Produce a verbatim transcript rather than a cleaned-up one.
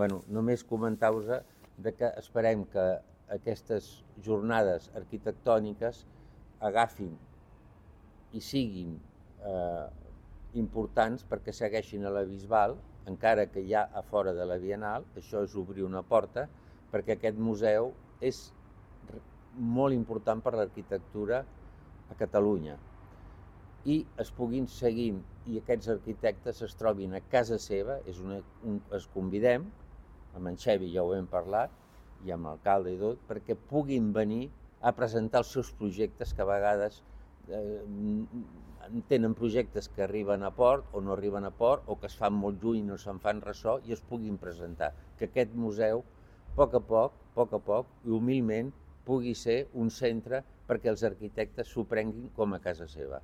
Bueno, només comentar-vos de que esperem que aquestes jornades arquitectòniques agafin i siguin eh, importants perquè segueixin a la Bisbal, encara que ja a fora de la Bienal. Això és obrir una porta, perquè aquest museu és molt important per l'arquitectura a Catalunya, i es puguin seguir i aquests arquitectes es trobin a casa seva. És una, un, es convidem, amb en Xevi ja ho hem parlat, i amb l'alcalde i tot, perquè puguin venir a presentar els seus projectes, que a vegades eh, tenen projectes que arriben a port o no arriben a port, o que es fan molt lluny i no se'n fan ressò, i es puguin presentar. Que aquest museu, a poc a poc, a poc a poc, i humilment, pugui ser un centre perquè els arquitectes s'ho prenguin com a casa seva.